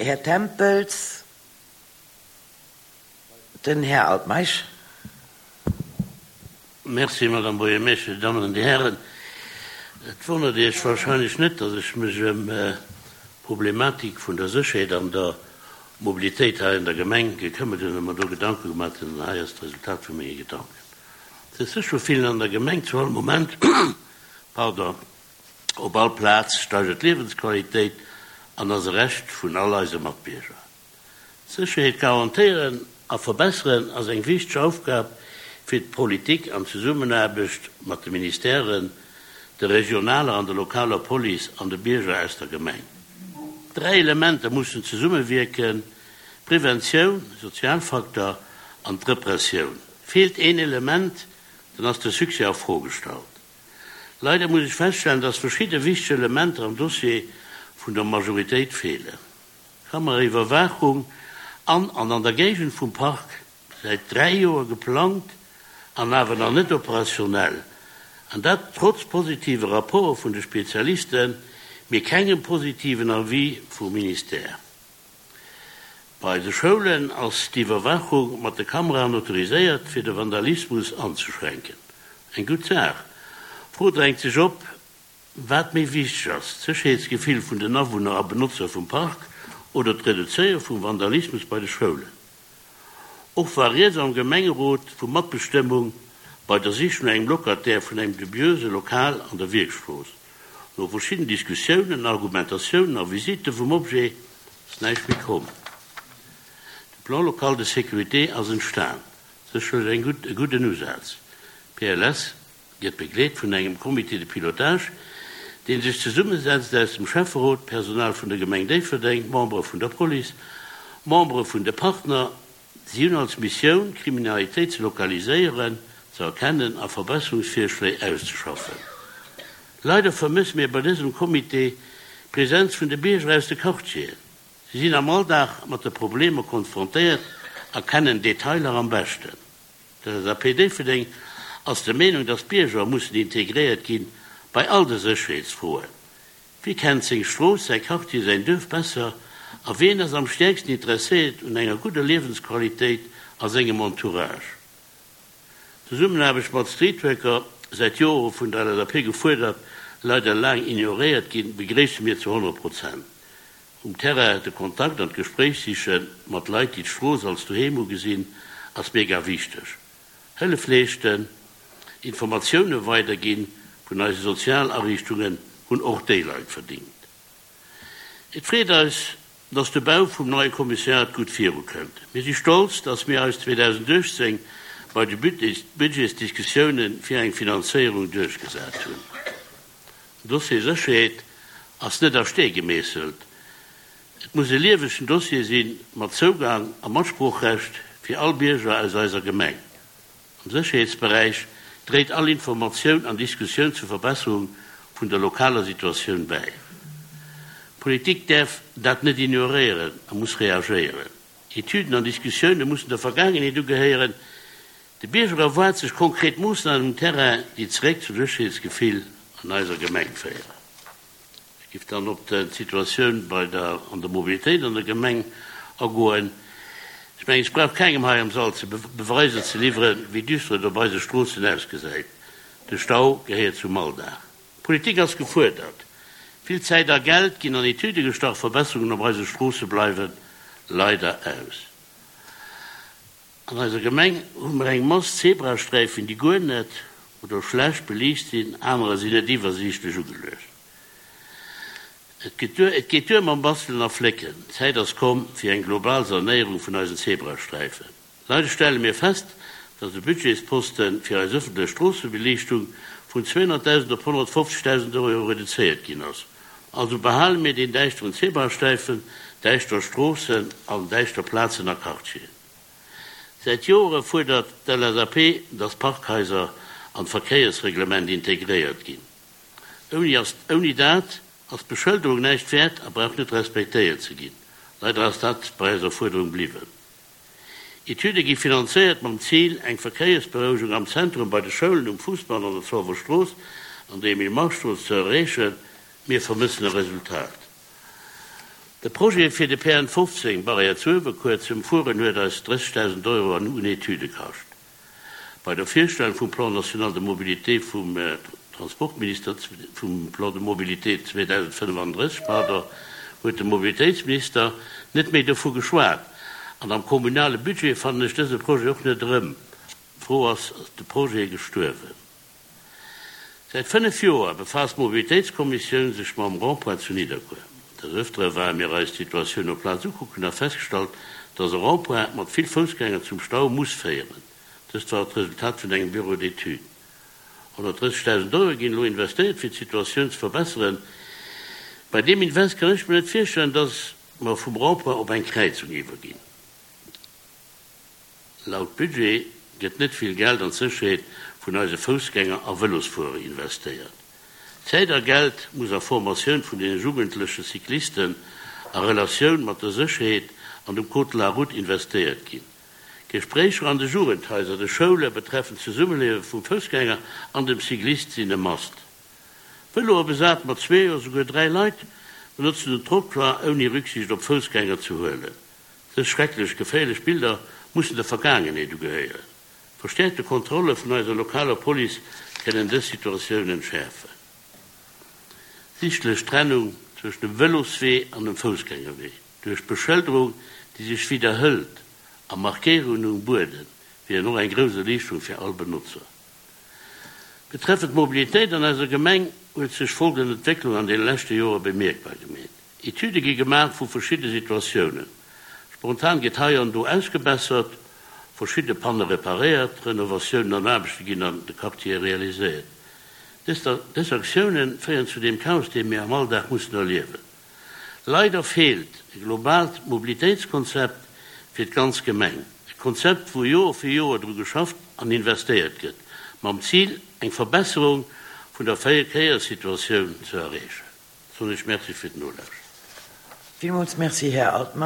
Här Tempels. Den Här Altmeisch. Merci, Madame Buergermeeschter, Dir Dammen an Dir Hären. Et wonnert Iech wahrscheinlech net, datt ech mech ëm d'Problematik vun der Sécherheet an der Mobilitéit hei an der Gemeng gekëmmert hunn a mer do Gedanke gemaat hunn. An hei ass d'Resultat vu menge Gedanken. Sech sécher fillen an der Gemeng zu all Moment, pardon, op all Plaz steigert d'Liewensqualitéit an ass e Recht vun all eise Matbierger. D'Sécherheet garantéieren a verbesseren ass eng wichteg Aufgab fir d'Politik an Zesummenaarbecht mat de Ministèren, der regionaler an der lokaler Police an de Bierger aus der Gemeng. Dräi Elementer mussen zesummewierken, Preventioun, Sozialfaktor an d'Repressioun. Feelt een Element, dann ass de Succès a Fro gestallt. Leider muss ech feststellen, dass verschidde wichteg Elementer am Dossier vun der Majoritéit feelen. Kameraiwwerwaachung an an an der Géigend vum Park, säit 3 Joer geplangt an awer nach net operationell, an dat trotz positive Rapporte vun de Spezialisten, mee kengem positiven Avis vum Ministère. Bei de Schoulen ass d'Iwwerwaachung mat de Kameraen autoriséiert, fir de Vandalismus anzeschränken. Eng gutt Saach. D'Fro drängt sech op, Wat méi wichteg ass, d'Sécherheetsgefill vun den Awunner a Benotzer vum Park oder d'Reduzéiere vum Vandalismus bei de Schoulen? Och war rieds am Gemengerot vu Matbestëmmung bei der Sich no engem Locataire vun engem dubiöse Lokal an der Wierkstrooss. No verschidden Diskussiounen, Argumentatiounen a Visitte vum Objet ass näischt méi komm. De Plan local de sécurité ass entstan, sécherlech eng gutt e gudden Usaz. PLS gëtt begleet vun engem Comité de pilotage, dee sech zesummesetzt aus dem Schäfferot, Personal vun der Gemeng Déifferdeng, Membere vun der Police, Membere vun de Partner. Si hunn als Missioun, d'Kriminalitéit ze lokaliséieren, ze erkennen a Verbesserungsvirschléi auszeschaffen. Leider vermësse mir bei dësem Comité d'Presenz vun de Bierger aus de Quartieren. Si sinn am Alldag mat de Problemer konfrontéiert a kennen d'Detailer am beschten. D'LSAP Déifferdeng ass der Meenung, datt d'Bierger mussen integréiert gi bei all de Sécherheetsfroen. Wie kennt seng Strooss, säi Quartier, säin Duerf besser a wien ass am stäerksten interesséiert un enger gudder Liewensqualitéit a sengem Entourage? D'Zesummenaarbecht mat Streetworker, säit Jore vun der LSAP gefuerdert, leider laang ignoréiert ginn, begréisse mir zu 100 Prozent. Um Terrain de Kontakt an d'Gespréich siche mat Leit, déi d'Strooss als Doheem ugesinn, ass mega wichteg. Hëllef leeschten, Informatioune weiderginn vun eise Sozialariichtungen hunn och déi Leit verdingt. Et freet eis, dass de Bau vum neie Kommissariat gutt virukënnt. Mir si stolz, dass mir eis 2018 bei de Budgetsdiskussioune fir eng Finanzéierung duerchgesat hunn. Den Dossier Sécherheet ass net a Stee gemeesselt. Et muss e liewegen Dossier si mat Zougang a Matsproochrecht fir all Bierger aus eiser Gemeng. Am Sécherheetsberäich dréit all Informatioun an Diskussioun zur Verbesserung vun der lokaler Situatioun bäi. D'Politik däerf dat net ignoréieren a muss reagéieren. Etüden an Diskussioune mussen der Vergaangenheet ugehéieren. De Bierger erwaart sech konkret Moossnamen um Terrain, déi zeréck zum Sécherheetsgefill an eiser Gemeng féieren. Ech géif dann op d'Situatioun bei der an der Mobilitéit an der Gemeng agoen. Ech mengen, ech brauch kengem hei am Sall ze Beweiser ze liwweren, wéi düster et op eise Stroossen ausgesäit. De Stau gehéiert zum Alldag. D'Politik ass gefuerdert. Vill Zäit a Geld ginn an Etüde gestach, Verbesserungen op eise Stroosse bleiwe leider aus. An eiser Gemeng hu mer eng Mass Zebrasträifen, déi guer net oder schlecht beliicht sinn, anerer sinn net iwwersiichtlech ugeluecht. Et geet duer, et geet duer mam Bastelen a Flécken. D'Zäit ass komm fir eng global Sanéierung vun eisen Zebrasträifen. Leider stelle mir fest, dass de Budgetsposte fir eis ëffentlech Stroossebeliichtung vun 200.000 op 150.000 Euro reduzéiert ginn ass. Also behale mir deen däischteren Zebrasträifen, däischter Stroossen an däischter Plazen a Quartieren. Säit Jore fuerdert d'LSAP, dass Parkhaiser an d'Verkéiersreglement integréiert ginn. Ouni ass, ouni dat ass d'Beschëlderung näischt wäert a brauch net respektéiert ze ginn. Leider ass dat bei eiser Fuerderung bliwwen. Etüde gi finanzéiert mam Zil, eng Verkéiersberouegung am Zentrum, bei de Schoulen, um Fuussbann, an der Zolwer Strooss an der Emile-Mark-Strooss ze erreechen. Mir vermëssen e Resultat. De Projet fir de PN 15, Barrière zu Uewerkuer, ze ëmfueren huet eis 30.000 Euro an un Etüde kascht. Bei der Virstellung vum Plan national de mobilité vum Transportminister, vum Plan de mobilité 2035, pardon, huet de Mobilitéitsminister net méi dovu geschwat. An am kommunale Budget fannen ech dëse Projet och net erëm. D'Fro ass, Ass de Projet gestuerwen? Säit 5 Joer befaasst d'Mobilitéitskommissioun sech mam Rond-point zu Nidderkuer. Des Ëftere ware mir eis d'Situatioun op Plaz ukucken a festgestallt, dass e Rond-point mat vill Foussgänger zum Stau muss féieren. Dëst war d'Resultat vun engem Bureau d'études. 130.000 Euro ginn elo investéiert fir d'Situatioun ze verbesseren. Bei deem Invest kann ech mir net virstellen, dass mer vum Rond-point op eng Kräizung iwwerginn. Laut Budget gëtt net vill Geld an d'Sécherheet vun eise Foussgänger a Vëlosfuerer investéiert. Zäit a Geld muss a Formatioun vun den jugendleche Cyclisten a Relatioun mat der Sécherheet an dem Code de la route investéiert ginn. Gespréicher an de Jugendhaiser, de Schoule betreffend d'Zesummeliewe vum Foussgänger an dem Cyclist sinn e Must. Vëloe besat mat zwee oder souguer 3 Leit benotzen den Trottoir ouni Rücksicht op Foussgänger ze huelen. Dës schrecklech geféierlech Bilder mussen der Vergaangenheet ugehéieren. Verstäerkte Kontrolle vun eiser lokaler Police kënnen dës Situatioun entschäerfen. Sichtlech Trennung zwëschen dem Vëloswee an dem Foussgängerwee duerch Beschëlderung, déi sech widderhëlt, a Markéierungen um Buedem wieren och eng grouss Erliichterung fir all Benotzer. Betreffend d'Mobilitéit an eiser Gemeng huet sech folgend Entwécklung an deene leschte Jore bemierkbar gemeet. Etüde gi gemaach vu verschidde Situatiounen. Spontan gëtt hei an do ausgebessert, verschidde Panne reparéiert, Renovatiounen an Aarbechte ginn an de Quartiere realiséiert. Dës Aktioune féieren zu deem Chaos, dee mir am Alldag mussen erliewen. Leider feelt e globaalt Mobilitéitskonzept fir d'ganz Gemeng. E Konzept, wou Joer fir Joer dru geschafft an investéiert gëtt, mam Zil, eng Verbesserung vun der Verkéierssituatioun ze erreechen. Soen ech Merci fir d'Nolauschteren. Villmools Merci, Här Altmeisch.